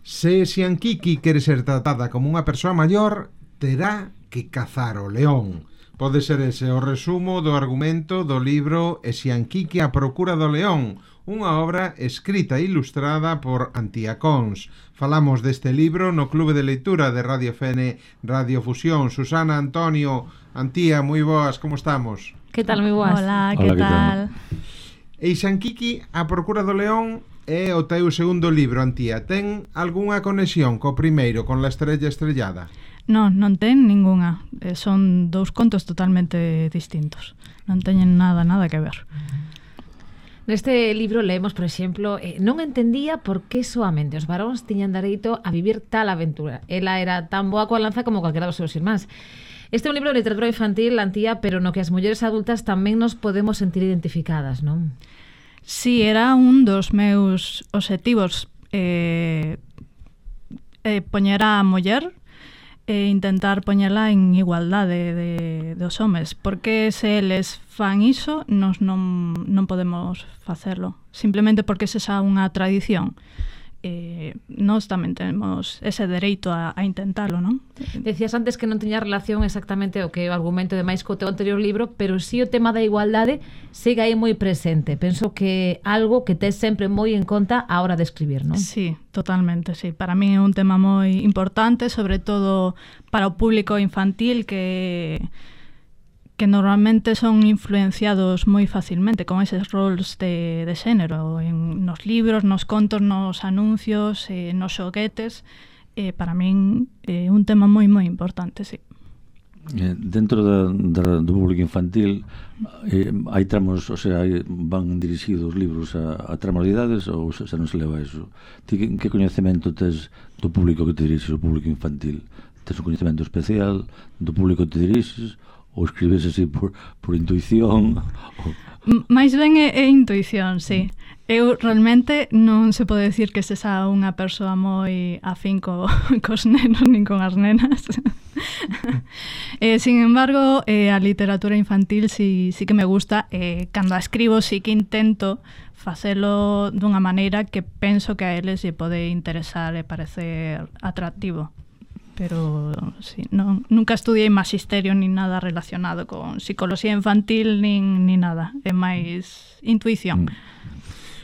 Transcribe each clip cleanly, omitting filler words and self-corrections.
Se Xianquiqui quere ser tratada como unha persoa maior, terá que cazar o león. Pode ser ese o resumo do argumento do libro Xianquiqui a procura do león, unha obra escrita e ilustrada por Antía Cons. Falamos deste libro no Clube de Leitura de Radio FN Radio Fusión. Susana, Antonio, Antía, moi boas, como estamos? Que tal, moi boas? Hola, que tal? E Xianquiqui a procura do león é o teu segundo libro, Antía. Ten algunha conexión co primeiro, con La estrella estrellada? Non ten ningunha. Son dous contos totalmente distintos. Non teñen nada que ver. Neste libro leemos, por exemplo, non entendía por que soamente os varóns tiñan dereito a vivir tal aventura. Ela era tan boa coa lanza como calquera dos seus irmáns. Este é un libro de literatura infantil, Antía, pero no que as mulleres adultas tamén nos podemos sentir identificadas, non? Sí, era un dos meus obxectivos, poñer a muller e intentar poñela en igualdade dos homes, porque se eles fan iso, nos non podemos facelo, simplemente porque esa é unha tradición. Nós tamén temos ese dereito a intentalo, non? Decías antes que non tiña relación exactamente o que o argumento de máis co teu anterior libro, pero si o tema da igualdade sigue aí moi presente. Penso que algo que tes sempre moi en conta a hora de escribir, non? Sí, totalmente, sí. Para mí é un tema moi importante, sobre todo para o público infantil que normalmente son influenciados moi facilmente con eses roles de xénero nos libros, nos contos, nos anuncios, nos xoguetes. Para min é un tema moi importante, sí. Dentro do público infantil hai tramos, o sea, van dirixidos os libros a tramos de idades ou se non se leva eso? Ti que coñecemento tes do público que te dirixes, o público infantil? Tes un coñecemento especial do público que te dirixes ou escribes así por intuición? Mais ben é intuición, sí. Eu realmente non se pode decir que sexa unha persoa moi afín cos nenos nin con as nenas. Sin embargo, a literatura infantil sí que me gusta. Cando a escribo sí que intento facelo dunha maneira que penso que a eles lle pode interesar e parecer atractivo. Pero sí, nunca estudiei magisterio nin nada relacionado con psicología infantil nin nada, é máis intuición.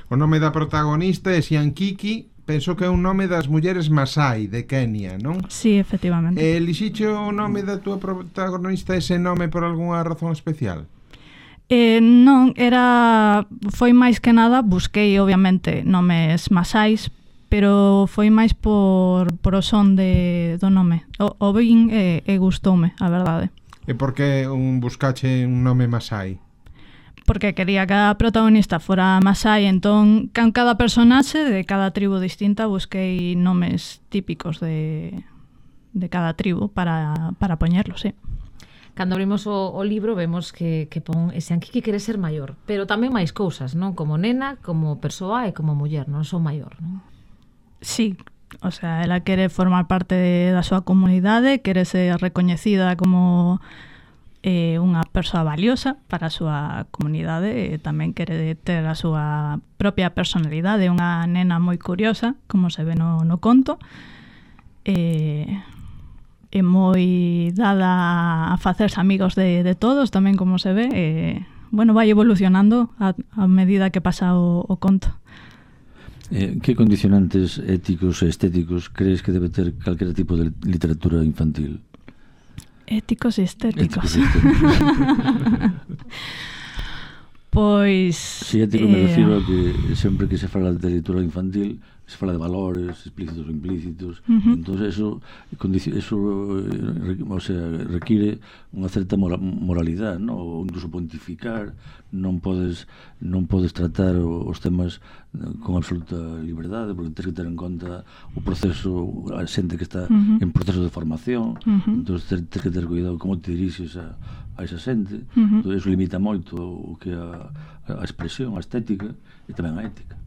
O nome da protagonista é Xianquiqui, penso que é un nome das mulleres Masai de Kenia, non? Sí, efectivamente. Elixiche o nome da túa protagonista ese nome por algunha razón especial? Non, foi máis que nada, busquei obviamente nomes masais, pero foi máis por o son do nome. O vin e gustoume, a verdade. E por que buscache un nome masai? Porque quería que a protagonista fora masai, entón, con cada personaxe de cada tribu distinta busquei nomes típicos de cada tribu para poñerlo, sí. Cando abrimos o libro vemos que pon Xianquiqui quere ser maior, pero tamén máis cousas, non? Como nena, como persoa e como muller, non só maior, non? Sí, o sea, ela quere formar parte da súa comunidade, quere ser recoñecida como unha persoa valiosa para a súa comunidade e tamén quere ter a súa propia personalidade, unha nena moi curiosa, como se ve no conto, e moi dada a facerse amigos de todos, tamén como se ve, bueno, vai evolucionando a medida que pasa o conto. Que condicionantes éticos e estéticos crees que debe ter calquera tipo de literatura infantil? Éticos e estéticos. Pois... Si ético me refiro a que sempre que se fala de literatura infantil se fala de valores explícitos ou implícitos. Entón eso o sea, require unha certa moralidade, ¿no? Ou incluso pontificar. Non podes tratar os temas con absoluta liberdade, porque tens que ter en conta o proceso, a xente que está en proceso de formación. Entón tens que ter cuidado como te dirixes a esa xente. Entón eso limita moito o que a expresión, a estética e tamén a ética.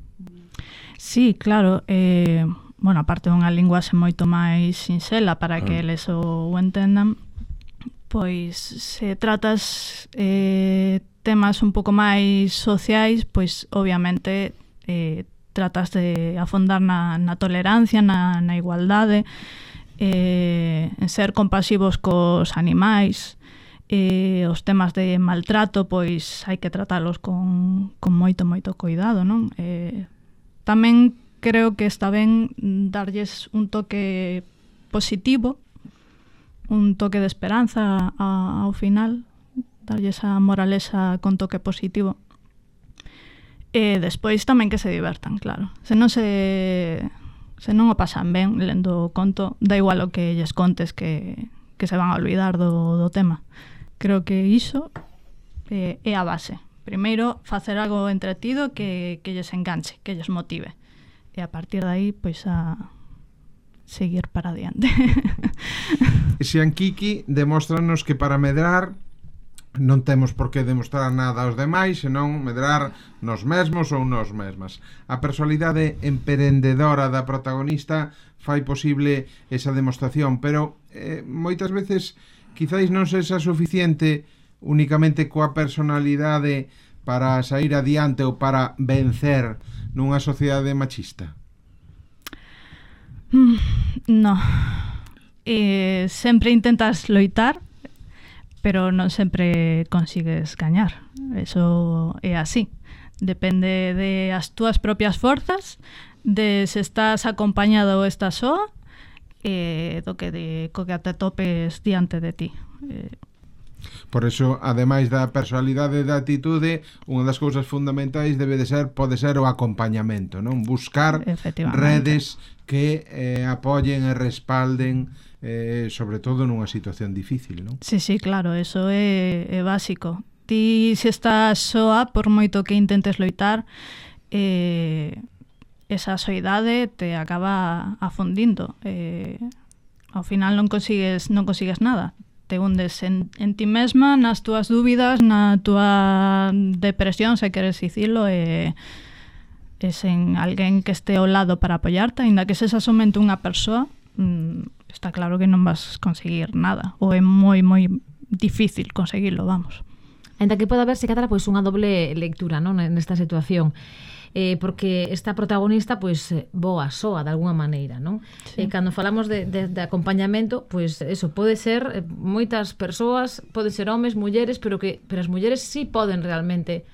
Sí, claro, bueno, aparte unha linguaxe moito máis sinxela para que eles o entendan, pois se tratas temas un pouco máis sociais, pois obviamente tratas de afondar na tolerancia, na igualdade, en ser compasivos cos animais, os temas de maltrato, pois hai que tratalos con moito cuidado, non? Tamén creo que está ben darlles un toque positivo, un toque de esperanza ao final, darlles a moralexa con toque positivo. E despois tamén que se divertan, claro. Se non o pasan ben lendo o conto, da igual o que lles contes que se van a olvidar do tema. Creo que iso é a base. Primeiro, facer algo entretido que lles enganche, que lles motive. E a partir de aí, pois a seguir para adiante. Xianquiqui demóstranos que para medrar non temos por que demostrar nada aos demais, senón medrar nos mesmos ou nos mesmas. A personalidade emprendedora da protagonista fai posible esa demostración, pero moitas veces quizáis non sexa suficiente únicamente coa personalidade para sair adiante ou para vencer nunha sociedade machista. No. Sempre intentas loitar, pero non sempre consigues gañar. Eso é así. Depende de as túas propias forzas, de se estás acompañado ou estás soa, do que te topes diante de ti. Por eso, ademais da personalidade e da atitude, unha das cousas fundamentais pode ser o acompañamento, non? Buscar redes que apoyen e respalden, sobre todo nunha situación difícil, non? Sí, claro, eso é básico. Ti, se estás soa, por moito que intentes loitar, esa soidade te acaba afundindo. Ao final non consigues nada. Te hundes en ti mesma, nas túas dúbidas, na túa depresión, se queres dicilo, e sen alguén que este ao lado para apoiarte, ainda que sexa somente unha persoa, está claro que non vas conseguir nada, ou é moi difícil conseguirlo, vamos. Ainda que poda haberse cadra pois unha doble lectura, non, nesta situación. Porque esta protagonista pois voa soa de alguna maneira, non? Sí. Cando falamos de acompañamento, pois eso pode ser moitas persoas, pode ser homes, mulleres, pero as mulleres sí poden realmente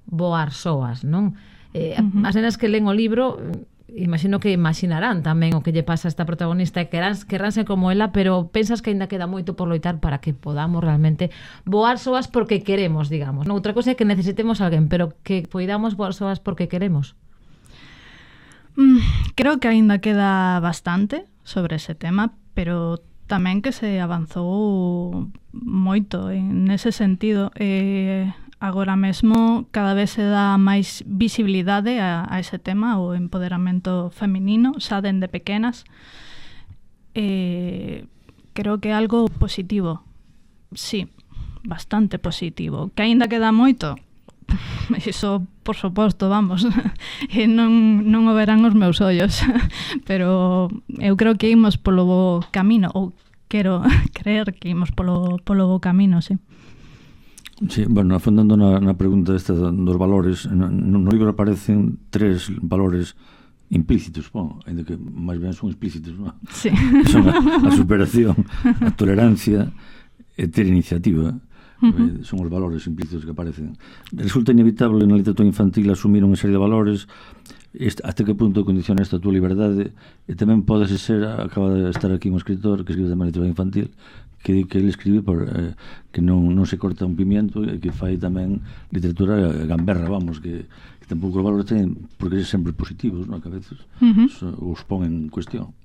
voar soas, non? As nenas que len o libro, imagino que imaginarán tamén o que lle pasa a esta protagonista e querrán ser como ela, pero pensas que ainda queda moito por loitar para que podamos realmente voar soas porque queremos, digamos. Outra cosa é que necesitemos alguén, pero que poidamos voar soas porque queremos. Creo que ainda queda bastante sobre ese tema, pero tamén que se avanzou moito en ese sentido. Agora mesmo cada vez se dá máis visibilidade a ese tema, o empoderamento feminino, xa dende pequenas. Creo que é algo positivo. Sí, bastante positivo. Que aínda queda moito? Iso, por suposto, vamos. Non o verán os meus ollos. Pero eu creo que imos polo bo camino, ou quero creer que imos polo bo camino, sí. Sí, bueno, afondando na pregunta esta dos valores, no libro aparecen 3 valores implícitos, ainda que máis ben son explícitos, non? Sí. Son a superación, a tolerancia e ter iniciativa. Son os valores implícitos que aparecen. Resulta inevitable na literatura infantil asumir unha serie de valores. Hasta que punto condiciona esta tua liberdade? E tamén podes ser, acaba de estar aquí un escritor que escribe tamén literatura infantil, que ele escribe que non se corta un pimiento, e que fai tamén literatura gamberra, vamos, que tampouco os valores ten porque ser sempre positivos, non? Que a veces os pon en cuestión.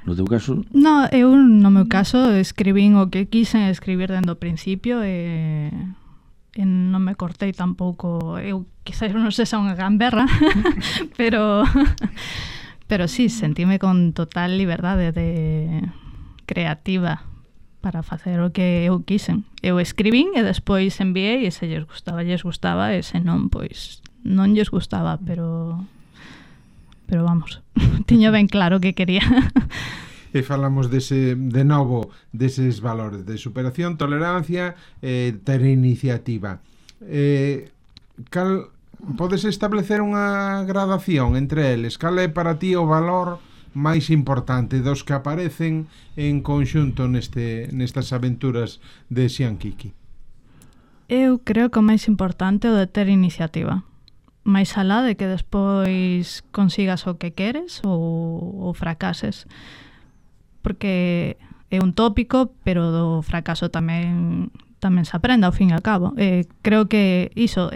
No teu caso? No, eu no meu caso escribín o que quixen escribir dende o principio, e non me cortei tampouco. Eu quizás non sexa unha gamberra, pero sí, sentíme con total liberdade de creativa para facer o que eu quixen. Eu escribín e despois enviei, e se lles gustaba, e se non, pois non lles gustaba, pero vamos, tiño ben claro que quería. E falamos de novo deses valores de superación, tolerancia, ter iniciativa. Cal podes establecer unha gradación entre eles? Cal é para ti o valor máis importante dos que aparecen en conxunto nestas aventuras de Xiankiki? Eu creo que o máis importante é o de ter iniciativa. Máis alá de que despois consigas o que queres ou fracases. Porque é un tópico, pero do fracaso tamén se aprende ao fin e ao cabo. Creo que iso,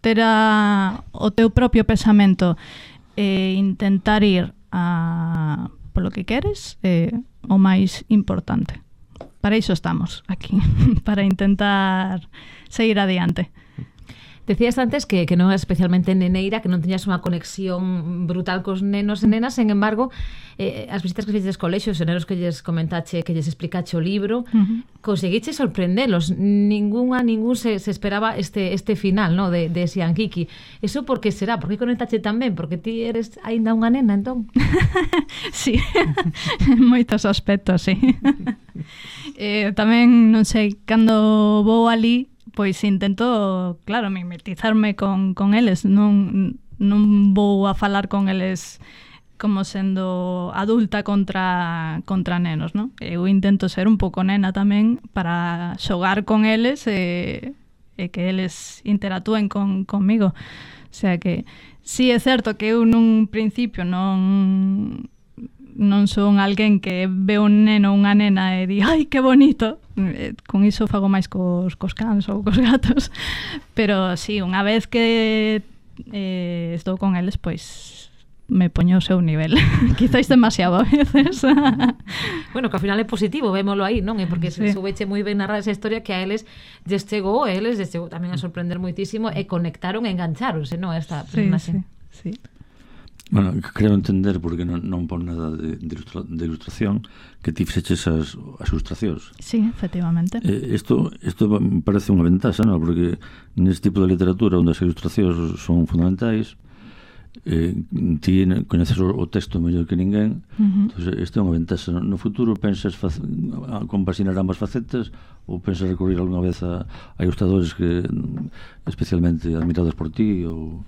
ter o teu propio pensamento e intentar ir polo que queres é o máis importante. Para iso estamos aquí, para intentar seguir adiante. Decías antes que non é especialmente neneira, que non teñas unha conexión brutal cos nenos e nenas, sen embargo, as visitas que fixetes colexios, os nenos que lles comentache, que lles explicache o libro, conseguiche sorprendelos. Ningún se esperaba este final, ¿no? de Xiankiki. Eso por que será? Por que conectache tan ben? Porque ti eres aínda unha nena, entón? Sí, moitos aspectos, sí. Tamén, non sei, cando vou ali, pois intento, claro, mimetizarme con eles, non vou a falar con eles como sendo adulta contra nenos, non? Eu intento ser un pouco nena tamén para xogar con eles e que eles interactúen conmigo. O sea que sí é certo que eu nun principio non son alguén que ve un neno ou unha nena e di, ai, que bonito. Con iso fago máis cos cans ou cos gatos. Pero sí, unha vez que estou con eles, pois me poño o seu nivel. Quizás demasiado a veces. Bueno, que ao final é positivo, vémolo aí, non? É porque sí. Soubeche moi ben narrar esa historia que a eles lles chegou tamén a sorprender moitísimo e conectaron e engancháronse, non? Esta personaxe. Sí. Bueno, creo entender, porque non pon nada de ilustración, que ti fixeches as ilustracións. Sí, efectivamente. Isto me parece unha ventaxa, non? Porque neste tipo de literatura onde as ilustracións son fundamentais, ti coñeces o texto mellor que ninguén, entón isto é unha ventaxa. No futuro pensas compaxinar ambas facetas ou pensas recurrir algunha vez a ilustradores que especialmente admirados por ti ou...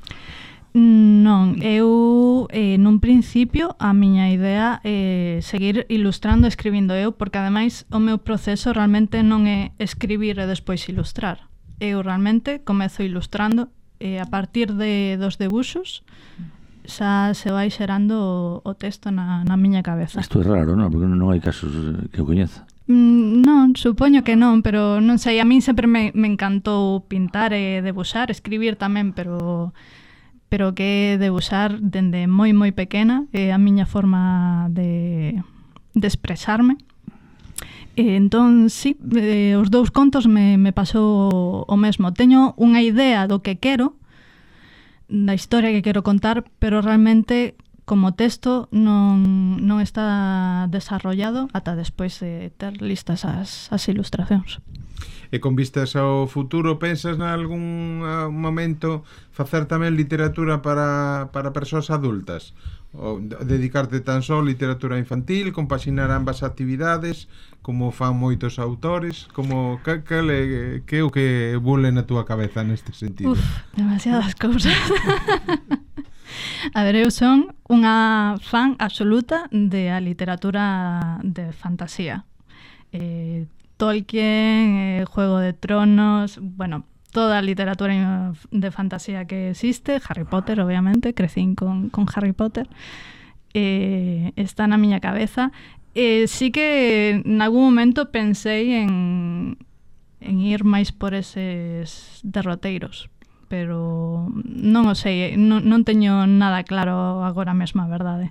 Non, eu nun principio a miña idea é seguir ilustrando e escribindo eu, porque ademais o meu proceso realmente non é escribir e despois ilustrar. Eu realmente comezo ilustrando e a partir dos debuxos xa se vai xerando o texto na miña cabeza. Isto é raro, non? Porque non hai casos que eu coñeza. Non, supoño que non, pero non sei, a min sempre me encantou pintar e debuxar, escribir tamén, pero que debuxar dende moi pequena é a miña forma de expresarme. Entón, sí, os dous contos me pasou o mesmo. Teño unha idea do que quero, da historia que quero contar, pero realmente como texto non está desarrollado ata despois de ter listas as ilustracións. E con vistas ao futuro, pensas nalgún momento facer tamén literatura para persoas adultas? Ou dedicarte tan só a literatura infantil, compaxinar ambas actividades, como fan moitos autores? Como que é o que bule na túa cabeza neste sentido? Demasiadas cousas. A ver, eu son unha fan absoluta de a literatura de fantasía. Tolkien, Juego de Tronos, bueno, toda a literatura de fantasía que existe, Harry Potter, obviamente, crecín con Harry Potter, está na miña cabeza. Sí que en algún momento pensei en ir máis por eses derroteiros, pero non o sei, non teño nada claro agora mesmo, a verdade.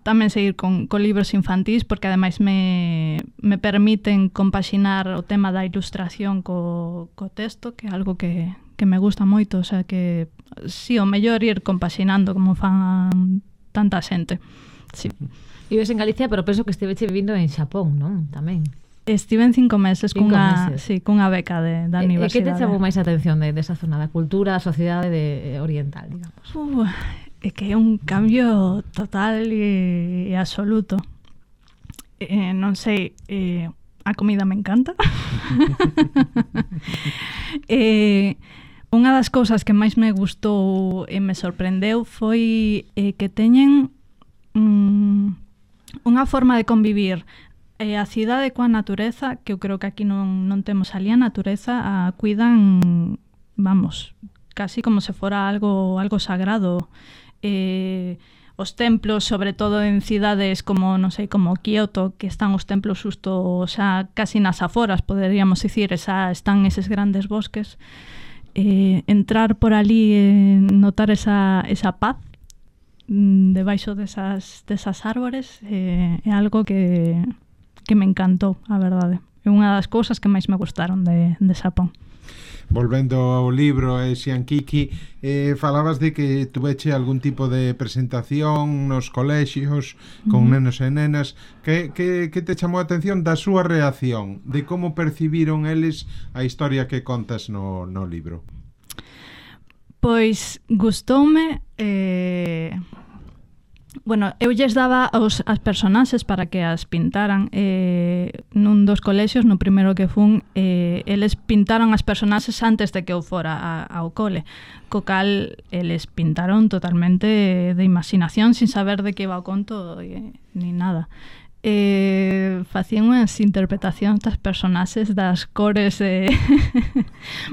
Tamén seguir con libros infantís, porque ademais me permiten compaxinar o tema da ilustración co texto, que é algo que me gusta moito, o sea que si, o mellor ir compaxinando como fan tanta xente. Sí. Vives en Galicia, pero penso que estiveche vivindo en Xapón, non? Tamén. Estive en 5 meses cunha beca da universidade. Que te chamou máis a atención desa zona da cultura, da sociedade oriental, digamos? É que é un cambio total e absoluto. Non sei, a comida me encanta. Unha das cousas que máis me gustou e me sorprendeu foi que teñen unha forma de convivir a cidade coa natureza, que eu creo que aquí non temos ali. A natureza cuidan, vamos, casi como se fora algo sagrado. Os templos, sobre todo en cidades como, non sei, como Kioto, que están os templos xusto xa casi nas aforas, poderíamos dicir, están eses grandes bosques. Entrar por ali e notar esa paz debaixo desas árbores é algo que me encantou, a verdade. É unha das cousas que máis me gustaron de Xapón. Volvendo ao libro, Xiankiki, falabas de que tuveche algún tipo de presentación nos colexios con nenos e nenas. Que te chamou a atención da súa reacción, de como percibiron eles a historia que contas no libro? Pois gustoume. Bueno, eu lles daba as personaxes para que as pintaran. Nun dos colexios, no primeiro que fun, eles pintaron as personaxes antes de que eu fora ao cole, co cal eles pintaron totalmente de imaginación, sin saber de que iba o conto ni nada. Facían unhas interpretacións das personaxes, das cores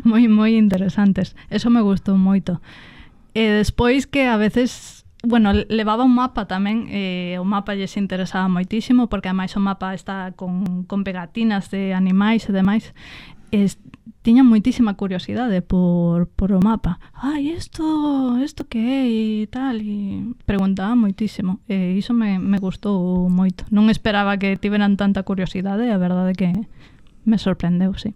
moi interesantes. Eso me gustou moito. E despois que a veces, bueno, levaba un mapa tamén, o mapa lles interesaba moitísimo, porque ademais o mapa está con pegatinas de animais e demais. Tiña moitísima curiosidade por o mapa. Isto que é e tal, e preguntaba moitísimo. E iso me gustou moito. Non esperaba que tiveran tanta curiosidade, a verdade que me sorprendeu, sí.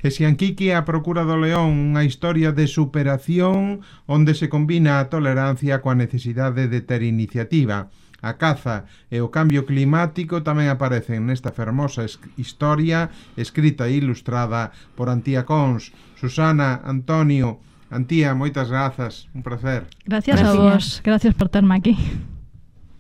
Xiankiki, a procura do león, unha historia de superación onde se combina a tolerancia coa necesidade de ter iniciativa. A caza e o cambio climático tamén aparecen nesta fermosa historia escrita e ilustrada por Antía Cons. Susana, Antonio, Antía, moitas grazas, un placer. Gracias a vos, gracias por terme aquí.